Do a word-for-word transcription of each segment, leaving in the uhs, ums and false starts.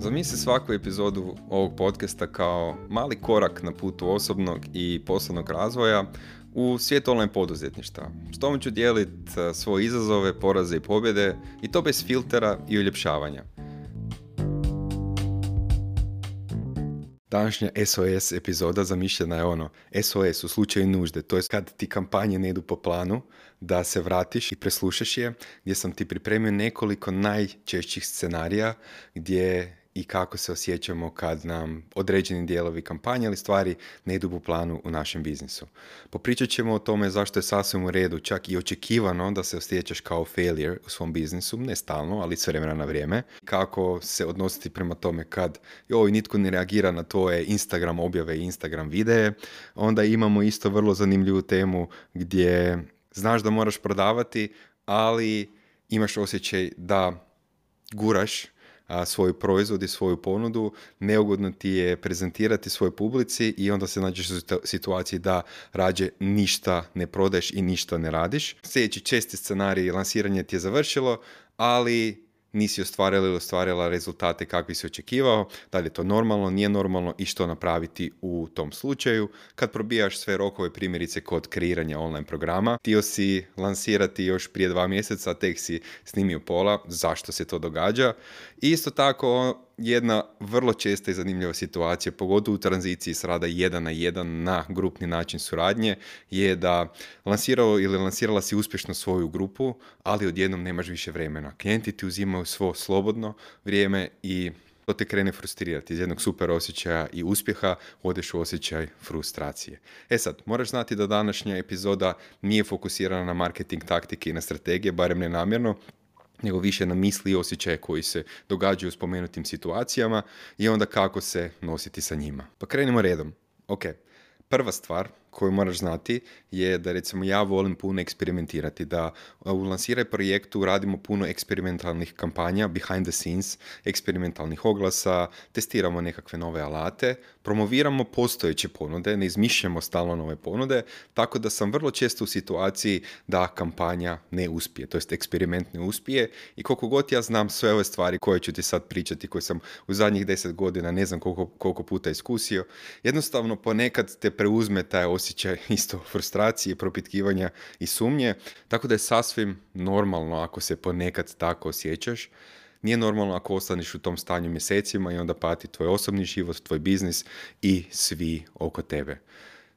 Zamisli svaku epizodu ovog podcasta kao mali korak na putu osobnog i poslovnog razvoja u svijet online poduzetništva. S tom ću dijeliti svoje izazove, poraze i pobjede i to bez filtera i uljepšavanja. Današnja S O S epizoda zamišljena je ono S O S u slučaju nužde, to je kad ti kampanje ne idu po planu, da se vratiš i preslušaš je, gdje sam ti pripremio nekoliko najčešćih scenarija gdje i kako se osjećamo kad nam određeni dijelovi kampanje ili stvari ne idu po planu u našem biznisu. Popričat ćemo o tome zašto je sasvim u redu, čak i očekivano da se osjećaš kao failure u svom biznisu, ne stalno, ali s vremena na vrijeme. Kako se odnositi prema tome kad joj, nitko ne reagira na tvoje Instagram objave i Instagram videe. Onda imamo isto vrlo zanimljivu temu gdje znaš da moraš prodavati, ali imaš osjećaj da guraš a, svoj proizvod i svoju ponudu, neugodno ti je prezentirati svojoj publici i onda se nađeš u situaciji da rađe ništa ne prodaješ i ništa ne radiš. Sljedeći česti scenarij, lansiranje ti je završilo, ali nisi ostvarila ili ostvarila rezultate kakvi si očekivao, da li je to normalno, nije normalno i što napraviti u tom slučaju. Kad probijaš sve rokove, primjerice kod kreiranja online programa, htio si lansirati još prije dva mjeseca, tek si snimio pola, zašto se to događa. I isto tako jedna vrlo česta i zanimljiva situacija, pogotovo u tranziciji s rada jedan na jedan na grupni način suradnje, je da lansirao ili lansirala si uspješno svoju grupu, ali odjednom nemaš više vremena. Klijenti ti uzimaju svo slobodno vrijeme i to te krene frustrirati. Iz jednog super osjećaja i uspjeha odeš u osjećaj frustracije. E sad, moraš znati da današnja epizoda nije fokusirana na marketing taktike i na strategije, barem ne namjerno, nego više na misli i osjećaje koji se događaju u spomenutim situacijama i onda kako se nositi sa njima. Pa krenimo redom. Ok, prva stvar koju moraš znati je da recimo ja volim puno eksperimentirati, da u lansiraj projektu radimo puno eksperimentalnih kampanja, behind the scenes, eksperimentalnih oglasa, testiramo nekakve nove alate, promoviramo postojeće ponude, ne izmišljamo stalno nove ponude, tako da sam vrlo često u situaciji da kampanja ne uspije, to jest eksperiment ne uspije i koliko god ja znam sve ove stvari koje ću ti sad pričati, koje sam u zadnjih deset godina ne znam koliko, koliko puta iskusio, jednostavno ponekad te preuzme taj osjećaj isto frustracije, propitkivanja i sumnje, tako da je sasvim normalno ako se ponekad tako osjećaš. Nije normalno ako ostaneš u tom stanju mjesecima i onda pati tvoj osobni život, tvoj biznis i svi oko tebe.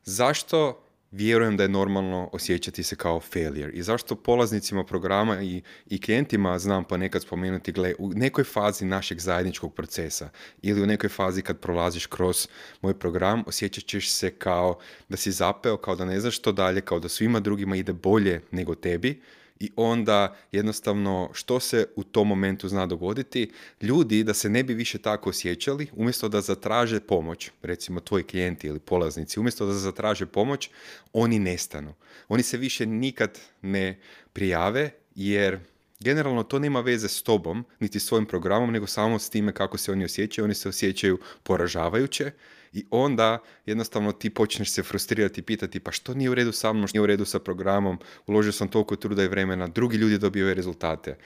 Zašto vjerujem da je normalno osjećati se kao failure i zašto polaznicima programa i, i klijentima znam ponekad spomenuti, gle, u nekoj fazi našeg zajedničkog procesa ili u nekoj fazi kad prolaziš kroz moj program, osjećat ćeš se kao da si zapeo, kao da ne znaš što dalje, kao da svima drugima ide bolje nego tebi. I onda jednostavno što se u tom momentu zna dogoditi, ljudi da se ne bi više tako osjećali, umjesto da zatraže pomoć, recimo tvoji klijenti ili polaznici, umjesto da zatraže pomoć, oni nestanu. Oni se više nikad ne prijave jer generalno to nema veze s tobom, niti s svojim programom, nego samo s time kako se oni osjećaju. Oni se osjećaju poražavajuće i onda jednostavno ti počneš se frustrirati i pitati pa što nije u redu sa mnom, što nije u redu sa programom, uložio sam toliko truda i vremena, drugi ljudi dobivaju rezultate.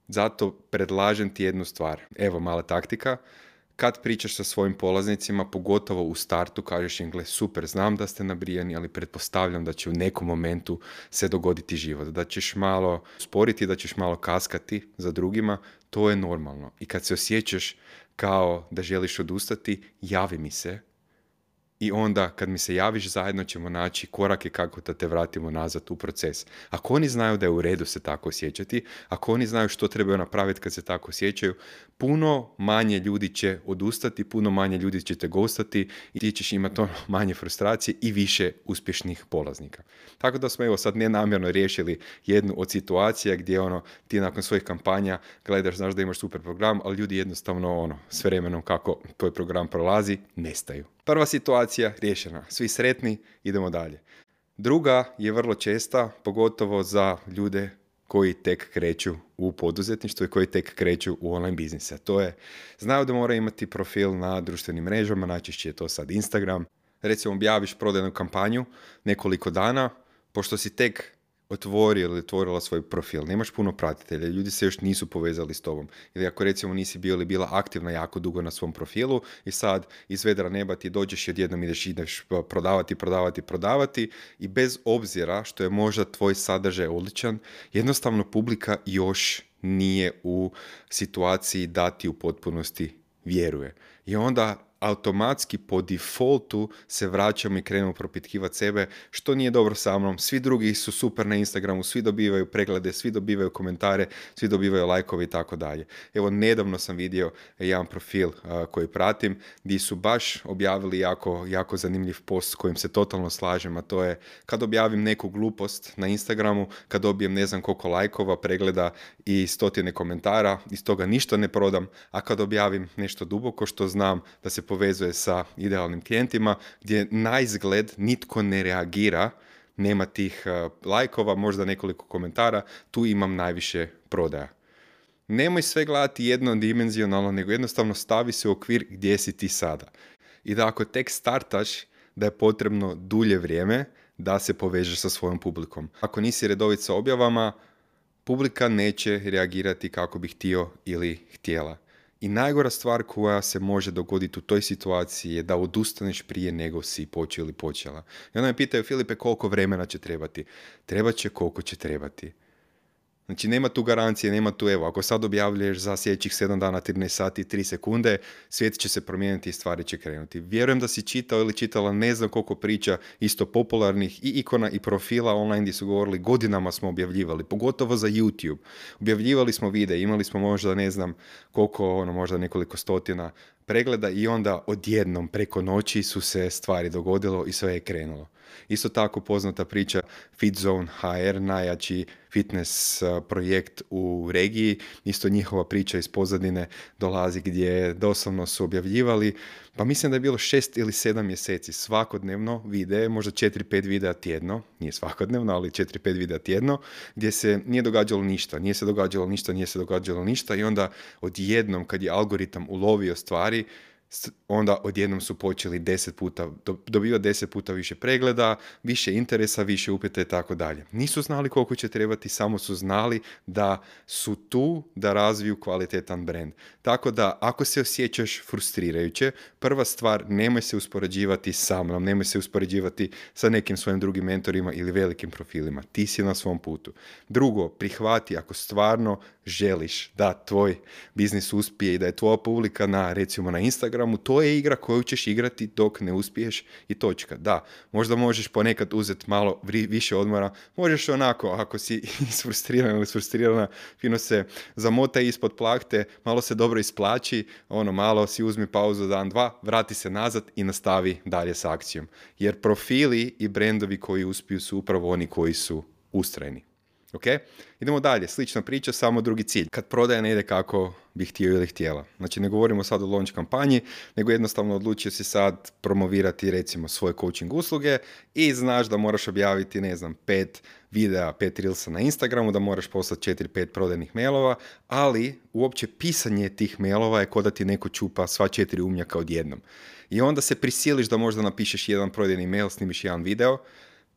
Zato predlažem ti jednu stvar. Evo mala taktika. Kad pričaš sa svojim polaznicima, pogotovo u startu, kažeš im, gle, super, znam da ste nabrijani, ali pretpostavljam da će u nekom momentu se dogoditi život. Da ćeš malo sporiti, da ćeš malo kaskati za drugima, to je normalno. I kad se osjećaš kao da želiš odustati, javi mi se. I onda kad mi se javiš, zajedno ćemo naći korake kako da te vratimo nazad u proces. Ako oni znaju da je u redu se tako osjećati, ako oni znaju što trebaju napraviti kad se tako osjećaju, puno manje ljudi će odustati, puno manje ljudi će te ghostati i ti ćeš imati ono manje frustracije i više uspješnih polaznika. Tako da smo evo sad nenamjerno riješili jednu od situacija gdje ono ti nakon svojih kampanja gledaš, znaš da imaš super program, ali ljudi jednostavno ono s vremenom kako tvoj program prolazi, nestaju. Prva situacija riješena, svi sretni, idemo dalje. Druga je vrlo česta, pogotovo za ljude koji tek kreću u poduzetništvu i koji tek kreću u online biznise. To je, znaju da mora imati profil na društvenim mrežama, najčešće je to sad Instagram. Recimo objaviš prodajnu kampanju nekoliko dana, pošto si tek otvorio ili otvorila svoj profil, nemaš puno pratitelja, ljudi se još nisu povezali s tobom. Ili ako recimo nisi bio ili bila aktivna jako dugo na svom profilu i sad iz vedra neba ti dođeš i odjednom ideš, ideš prodavati, prodavati, prodavati i bez obzira što je možda tvoj sadržaj odličan, jednostavno publika još nije u situaciji da ti u potpunosti vjeruje. I onda automatski po defaultu se vraćamo i krenemo propitkivati sebe što nije dobro sa mnom, svi drugi su super na Instagramu, svi dobivaju preglede, svi dobivaju komentare, svi dobivaju lajkove i tako dalje. Evo, nedavno sam vidio jedan profil uh, koji pratim gdje su baš objavili jako, jako zanimljiv post s kojim se totalno slažem, a to je kad objavim neku glupost na Instagramu, kad dobijem ne znam koliko lajkova, pregleda i stotine komentara, iz toga ništa ne prodam, a kad objavim nešto duboko što znam da se povezuje sa idealnim klijentima, gdje na izgled nitko ne reagira, nema tih uh, lajkova, možda nekoliko komentara, tu imam najviše prodaja. Nemoj sve gledati jednodimenzionalno, nego jednostavno stavi se u okvir gdje si ti sada. I da ako tek startaš, da je potrebno dulje vrijeme da se povežeš sa svojom publikom. Ako nisi redovit sa objavama, publika neće reagirati kako bi htio ili htjela. I najgora stvar koja se može dogoditi u toj situaciji je da odustaneš prije nego si počeo ili počela. I onda me pitaju, Filipe, koliko vremena će trebati? Trebat će koliko će trebati. Znači, nema tu garancije, nema tu, evo, ako sad objavljuješ za sljedećih sedam dana, trinaest sati, tri sekunde, svijet će se promijeniti i stvari će krenuti. Vjerujem da si čitao ili čitala ne znam koliko priča isto popularnih i ikona i profila online gdje su govorili godinama smo objavljivali, pogotovo za YouTube. Objavljivali smo videe, imali smo možda ne znam koliko, ono, možda nekoliko stotina pregleda i onda odjednom preko noći su se stvari dogodilo i sve je krenulo. Isto tako poznata priča FitZone ha er, najjači fitness projekt u regiji. Isto njihova priča iz pozadine dolazi gdje doslovno su objavljivali, pa mislim da je bilo šest ili sedam mjeseci svakodnevno videe, možda četiri pet videa tjedno, nije svakodnevno, ali četiri pet videa tjedno, gdje se nije događalo ništa, nije se događalo ništa, nije se događalo ništa i onda odjednom kad je algoritam ulovio stvari, onda odjednom su počeli deset puta, dobivati deset puta više pregleda, više interesa, više upita i tako dalje. Nisu znali koliko će trebati, samo su znali da su tu da razviju kvalitetan brand. Tako da ako se osjećaš frustrirajuće, prva stvar, nemoj se uspoređivati sa mnom, nemoj se uspoređivati sa nekim svojim drugim mentorima ili velikim profilima. Ti si na svom putu. Drugo, prihvati ako stvarno želiš da tvoj biznis uspije i da je tvoja publika na, recimo na Instagramu, to je igra koju ćeš igrati dok ne uspiješ i točka. Da, možda možeš ponekad uzeti malo više odmora, možeš onako, ako si isfrustriran ili isfrustrirana, fino se zamotaj ispod plahte, malo se dobro isplaći, ono, malo si uzmi pauzu dan, dva, vrati se nazad i nastavi dalje s akcijom. Jer profili i brendovi koji uspiju su upravo oni koji su ustrajni. Ok? Idemo dalje, slična priča, samo drugi cilj. Kad prodaja ne ide kako bi htio ili htjela. Znači, ne govorimo sad o launch kampanji, nego jednostavno odlučio si sad promovirati recimo svoje coaching usluge i znaš da moraš objaviti, ne znam, pet videa, pet reelsa na Instagramu, da moraš poslati četiri pet prodajnih mailova, ali uopće pisanje tih mailova je kao da ti neko čupa sva četiri umnjaka odjednom. I onda se prisiliš da možda napišeš jedan prodajni mail, snimiš jedan video,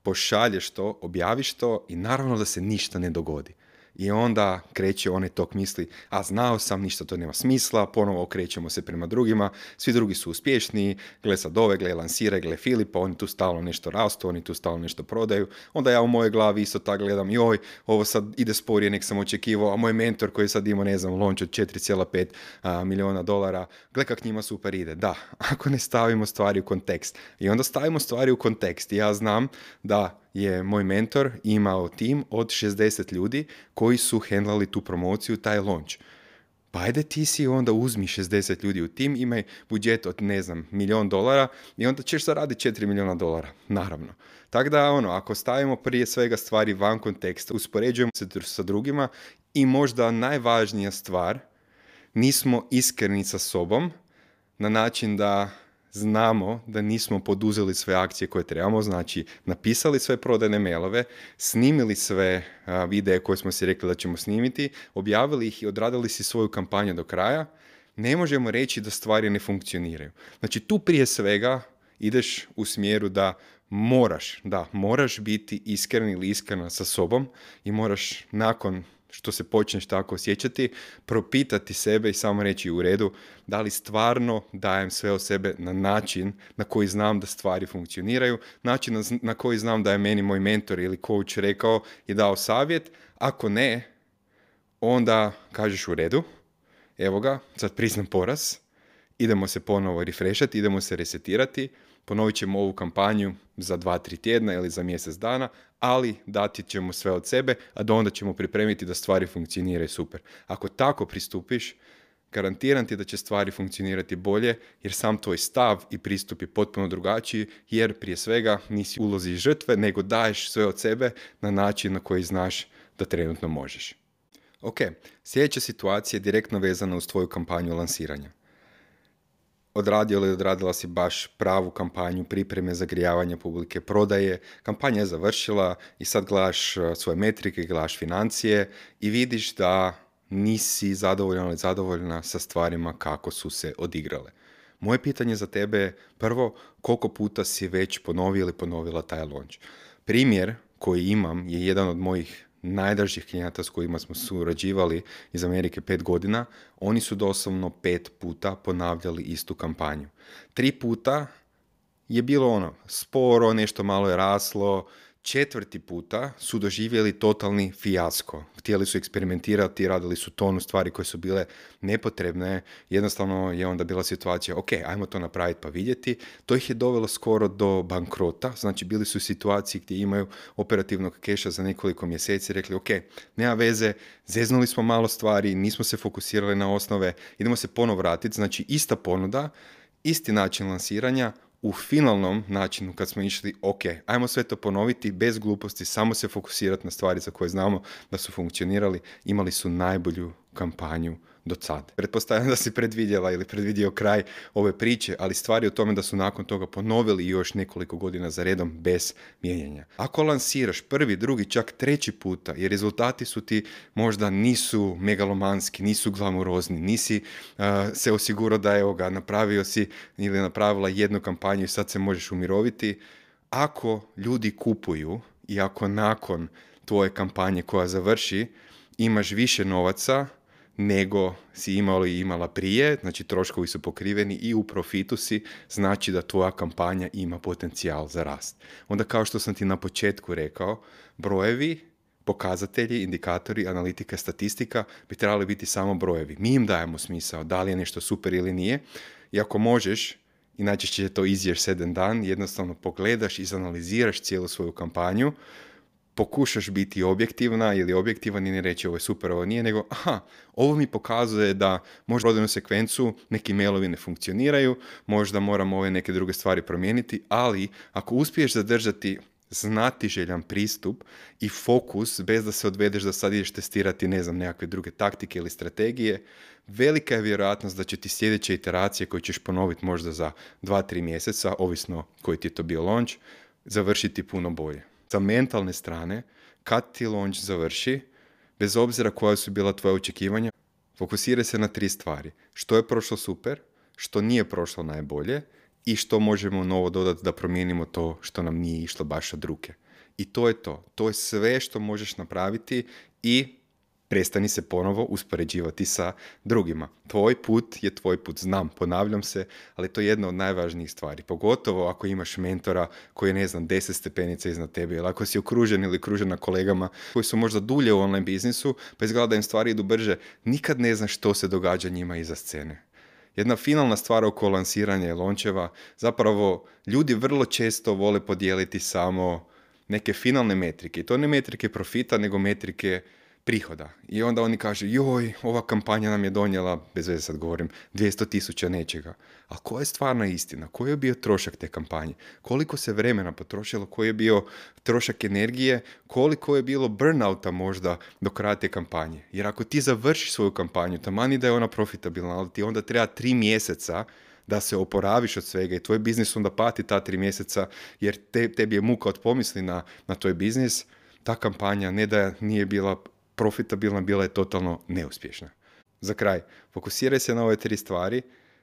pošalješ to, objaviš to i naravno da se ništa ne dogodi. I onda kreće onaj tok misli, a znao sam, ništa to nema smisla, ponovo okrećemo se prema drugima, svi drugi su uspješniji, gle sad ove, gle lansiraj, gle Filipa, oni tu stalno nešto rastu, oni tu stalno nešto prodaju, onda ja u mojoj glavi isto tako gledam, joj, ovo sad ide sporije nek sam očekivao, a moj mentor koji sad ima, ne znam, launch od četiri zarez pet milijuna dolara, gle kak njima super ide. Da, ako ne stavimo stvari u kontekst. I onda stavimo stvari u kontekst i ja znam da je moj mentor imao tim od šezdeset ljudi koji su hendlali tu promociju, taj launch. Pa ajde ti si onda uzmi šezdeset ljudi u tim, imaj budžet od, ne znam, milijon dolara i onda ćeš zaraditi četiri milijuna dolara, naravno. Tako da, ono, ako stavimo prije svega stvari van konteksta, uspoređujemo se sa drugima i možda najvažnija stvar, nismo iskreni sa sobom na način da znamo da nismo poduzeli sve akcije koje trebamo, znači napisali sve prodajne mailove, snimili sve a, videe koje smo si rekli da ćemo snimiti, objavili ih i odradili si svoju kampanju do kraja, ne možemo reći da stvari ne funkcioniraju. Znači tu prije svega ideš u smjeru da moraš, da, moraš biti iskren ili iskrena sa sobom i moraš nakon što se počneš tako osjećati, propitati sebe i samo reći u redu da li stvarno dajem sve od sebe na način na koji znam da stvari funkcioniraju, način na, na koji znam da je meni moj mentor ili coach rekao i dao savjet. Ako ne, onda kažeš u redu, evo ga, sad priznam poraz, idemo se ponovo refreshati, idemo se resetirati, ponovit ćemo ovu kampanju za dva, tri tjedna ili za mjesec dana, ali dati ćemo sve od sebe, a do onda ćemo pripremiti da stvari funkcioniraju super. Ako tako pristupiš, garantiram ti da će stvari funkcionirati bolje, jer sam tvoj stav i pristup je potpuno drugačiji, jer prije svega nisi u ulozi žrtve, nego daješ sve od sebe na način na koji znaš da trenutno možeš. Ok, sljedeća situacija je direktno vezana uz tvoju kampanju lansiranja. Odradio ili odradila si baš pravu kampanju, pripreme, zagrijavanja publike, prodaje, kampanja je završila i sad gledaš svoje metrike, gledaš financije i vidiš da nisi zadovoljan ili zadovoljna sa stvarima kako su se odigrale. Moje pitanje za tebe je prvo, koliko puta si već ponovio ili ponovila taj launch. Primjer koji imam je jedan od mojih najdražih klijenata s kojima smo surađivali iz Amerike pet godina. Oni su doslovno pet puta ponavljali istu kampanju. Tri puta je bilo ono sporo, nešto malo je raslo. Četvrti puta su doživjeli totalni fijasko. Htjeli su eksperimentirati, radili su tonu stvari koje su bile nepotrebne. Jednostavno je onda bila situacija, ok, ajmo to napraviti pa vidjeti. To ih je dovelo skoro do bankrota. Znači bili su u situaciji gdje imaju operativnog keša za nekoliko mjeseci. Rekli, ok, nema veze, zeznuli smo malo stvari, nismo se fokusirali na osnove, idemo se ponovo vratiti. Znači ista ponuda, isti način lansiranja, u finalnom načinu kad smo išli, ok, ajmo sve to ponoviti bez gluposti, samo se fokusirati na stvari za koje znamo da su funkcionirali, imali su najbolju kampanju do sad. Pretpostavljam da si predvidjela ili predvidio kraj ove priče, ali stvari o tome da su nakon toga ponovili još nekoliko godina za redom bez mijenjanja. Ako lansiraš prvi, drugi, čak treći puta i rezultati su ti možda nisu megalomanski, nisu glamurozni, nisi uh, se osigurao da evo ga, napravio si ili napravila jednu kampanju i sad se možeš umiroviti. Ako ljudi kupuju i ako nakon tvoje kampanje koja završi imaš više novaca nego si imao i imala prije, znači troškovi su pokriveni i u profitu si, znači da tvoja kampanja ima potencijal za rast. Onda kao što sam ti na početku rekao, brojevi, pokazatelji, indikatori, analitika, statistika bi trebali biti samo brojevi. Mi im dajemo smisao da li je nešto super ili nije i ako možeš, i najčešće je to easier said than done, jednostavno pogledaš i izanaliziraš cijelu svoju kampanju, pokušaš biti objektivna ili objektivan i ne reći ovo je super, ovo nije, nego aha, ovo mi pokazuje da možda prodajnu sekvencu neki mailovi ne funkcioniraju, možda moramo ove neke druge stvari promijeniti, ali ako uspiješ zadržati znatiželjan pristup i fokus bez da se odvedeš da sad ideš testirati, ne znam, nekakve druge taktike ili strategije, velika je vjerojatnost da će ti sljedeće iteracije koje ćeš ponoviti možda za dva tri mjeseca, ovisno koji ti je to bio launch, završiti puno bolje. Sa mentalne strane, kad ti launch završi, bez obzira koja su bila tvoja očekivanja, fokusiraj se na tri stvari. Što je prošlo super, što nije prošlo najbolje i što možemo novo dodati da promijenimo to što nam nije išlo baš od ruke. I to je to. To je sve što možeš napraviti i prestani se ponovo uspoređivati sa drugima. Tvoj put je tvoj put, znam, ponavljam se, ali to je jedna od najvažnijih stvari. Pogotovo ako imaš mentora koji je, ne znam, deset stepenica iznad tebe, ili ako si okružen ili okružena kolegama koji su možda dulje u online biznisu, pa izgleda da im stvari idu brže, nikad ne znaš što se događa njima iza scene. Jedna finalna stvar oko lansiranja i launcheva, zapravo ljudi vrlo često vole podijeliti samo neke finalne metrike. I to ne metrike profita, nego metrike prihoda. I onda oni kažu, joj, ova kampanja nam je donijela, bez veze sad govorim, dvjesto tisuća nečega. A koja je stvarna istina? Koji je bio trošak te kampanje? Koliko se vremena potrošilo? Koji je bio trošak energije? Koliko je bilo burnouta možda do kraja te kampanje? Jer ako ti završiš svoju kampanju, tamani da je ona profitabilna, ali ti onda treba tri mjeseca da se oporaviš od svega i tvoj biznis onda pati ta tri mjeseca, jer te, tebi je muka od pomisli na, na tvoj biznis, ta kampanja ne da nije bila profitabilna, bila je totalno neuspješna. Za kraj, fokusiraj se na ove tri stvari,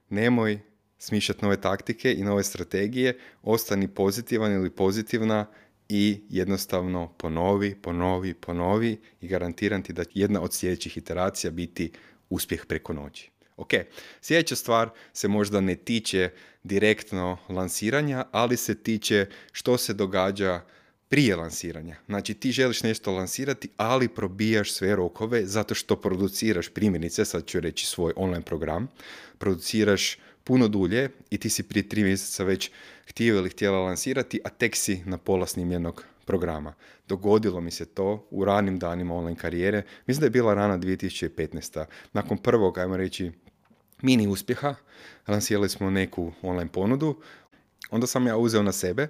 nemoj smišljati nove taktike i nove strategije, ostani pozitivan ili pozitivna i jednostavno ponovi, ponovi, ponovi i garantiram ti da jedna od sljedećih iteracija biti uspjeh preko noći. Ok, sljedeća stvar se možda ne tiče direktno lansiranja, ali se tiče što se događa prije lansiranja. Znači ti želiš nešto lansirati, ali probijaš sve rokove zato što produciraš, primjerice, sad ću reći svoj online program, produciraš puno dulje i ti si prije tri mjeseca već htio ili htjela lansirati, a tek si na pola snimljenog programa. Dogodilo mi se to u ranim danima online karijere. Mislim da je bila rana dvije tisuće petnaesta. Nakon prvog, ajmo reći, mini uspjeha, lansirali smo neku online ponudu, onda sam ja uzeo na sebe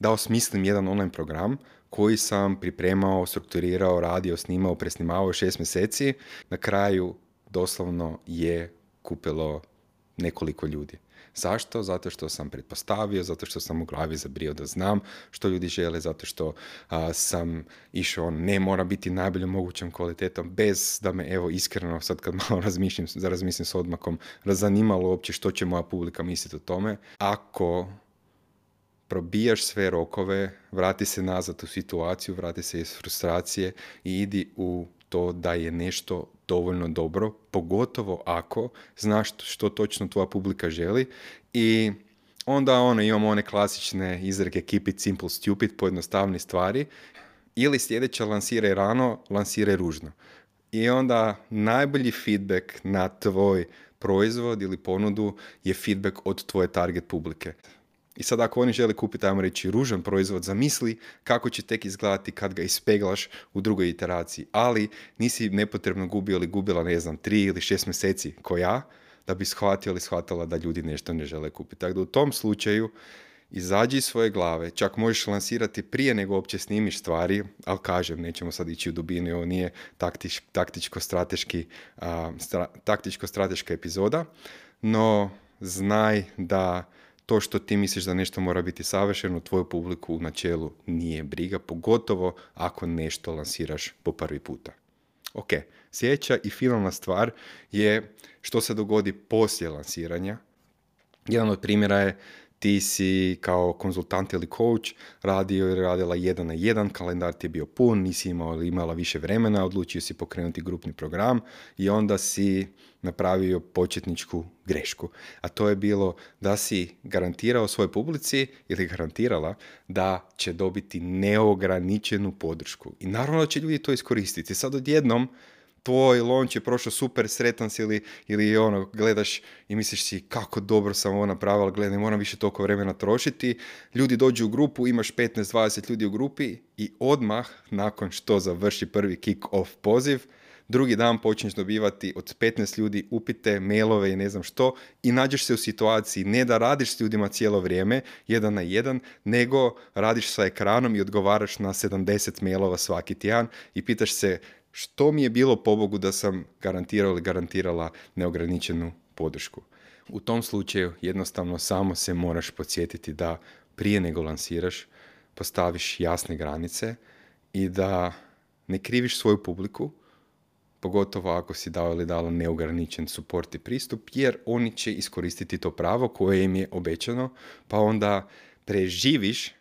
da osmislim jedan online program koji sam pripremao, strukturirao, radio, snimao, presnimao šest mjeseci. Na kraju doslovno je kupilo nekoliko ljudi. Zašto? Zato što sam pretpostavio, zato što sam u glavi zabrio da znam što ljudi žele, zato što a, sam išao, ne mora biti najboljom mogućom kvalitetom, bez da me, evo, iskreno, sad kad malo razmišljam, razmislim s odmakom, razanimalo uopće što će moja publika misliti o tome. Ako probijaš sve rokove, vrati se nazad u situaciju, vrati se iz frustracije i idi u to da je nešto dovoljno dobro, pogotovo ako znaš što točno tvoja publika želi i onda ono, imamo one klasične izreke keep it simple, stupid, pojednostavni stvari, ili sljedeća lansiraj rano, lansiraj ružno. I onda najbolji feedback na tvoj proizvod ili ponudu je feedback od tvoje target publike. I sad ako oni žele kupiti, ajmo reći, ružan proizvod, zamisli kako će tek izgledati kad ga ispeglaš u drugoj iteraciji. Ali nisi nepotrebno gubio ili gubila, ne znam, tri ili šest mjeseci ko ja, da bi shvatio ili shvatila da ljudi nešto ne žele kupiti. Tako da u tom slučaju izađi iz svoje glave, čak možeš lansirati prije nego uopće snimiš stvari, ali kažem, nećemo sad ići u dubinu, ovo nije taktič, taktičko-strateški, a, stra, taktičko-strateška epizoda, no znaj da to što ti misliš da nešto mora biti savršeno, tvoju publiku u načelu nije briga, pogotovo ako nešto lansiraš po prvi puta. Ok, sljedeća i finalna stvar je što se dogodi poslije lansiranja. Jedan od primjera je ti si kao konzultant ili coach radio ili radila jedan na jedan, kalendar ti je bio pun, nisi imao ili imala više vremena, odlučio si pokrenuti grupni program i onda si napravio početničku grešku. A to je bilo da si garantirao svojoj publici ili garantirala da će dobiti neograničenu podršku. I naravno da će ljudi to iskoristiti. Sad odjednom tvoj launch je prošao super, sretan si ili, ili ono, gledaš i misliš si kako dobro sam ovo napravila, gledaj, ne moram više toliko vremena trošiti. Ljudi dođu u grupu, imaš petnaest dvadeset ljudi u grupi i odmah nakon što završi prvi kick-off poziv, drugi dan počneš dobivati od petnaest ljudi upite, mailove i ne znam što i nađeš se u situaciji ne da radiš s ljudima cijelo vrijeme, jedan na jedan, nego radiš sa ekranom i odgovaraš na sedamdeset mailova svaki tjedan i pitaš se što mi je bilo pobogu da sam garantirao ili garantirala neograničenu podršku. U tom slučaju jednostavno samo se moraš podsjetiti da prije nego lansiraš postaviš jasne granice i da ne kriviš svoju publiku, pogotovo ako si dao ili dala neograničen support i pristup, jer oni će iskoristiti to pravo koje im je obećano, pa onda preživiš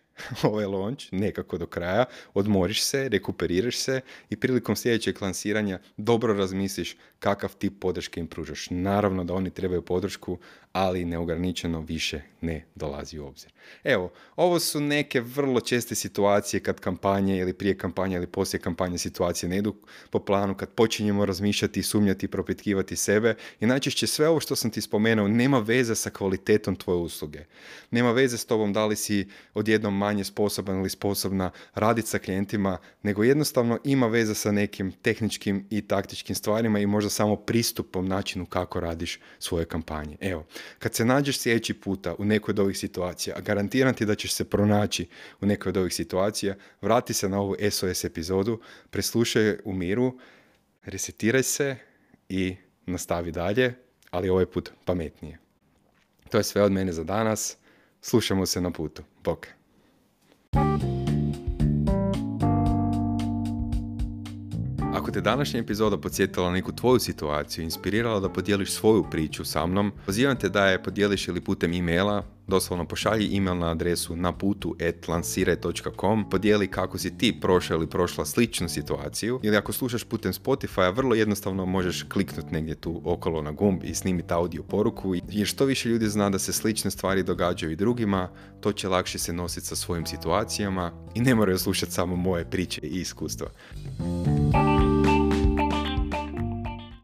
ovaj launch nekako do kraja, odmoriš se, rekuperiraš se i prilikom sljedećeg lansiranja dobro razmisliš kakav tip podrške im pružaš. Naravno da oni trebaju podršku, ali neograničeno više ne dolazi u obzir. Evo, ovo su neke vrlo česte situacije kad kampanje ili prije kampanje ili poslije kampanje situacije ne idu po planu, kad počinjemo razmišljati, sumnjati, propitkivati sebe i najčešće sve ovo što sam ti spomenuo nema veze sa kvalitetom tvoje usluge. Nema veze s tobom da li si odjednom manje sposoban ili sposobna raditi sa klijentima, nego jednostavno ima veze sa nekim tehničkim i taktičkim stvarima i možda samo pristupom načinu kako radiš svoje kampanje. Evo, kad se nađeš sljedeći puta u nekoj od ovih situacija, a garantiram ti da ćeš se pronaći u nekoj od ovih situacija, vrati se na ovu S O S epizodu, preslušaj u miru, resetiraj se i nastavi dalje, ali ovaj put pametnije. To je sve od mene za danas. Slušamo se na putu. Bok. Ako Ako te današnja epizoda podsjetila na neku tvoju situaciju, inspirirala da podijeliš svoju priču sa mnom, pozivam te da je podijeliš ili putem e-maila, doslovno pošalji email na adresu naputu at lansiraj dot com, podijeli kako si ti prošao ili prošla sličnu situaciju, ili ako slušaš putem Spotify, vrlo jednostavno možeš kliknuti negdje tu okolo na gumb i snimiti audio poruku, jer što više ljudi zna da se slične stvari događaju i drugima, to će lakše se nositi sa svojim situacijama i ne moraju slušati samo moje priče i iskustva.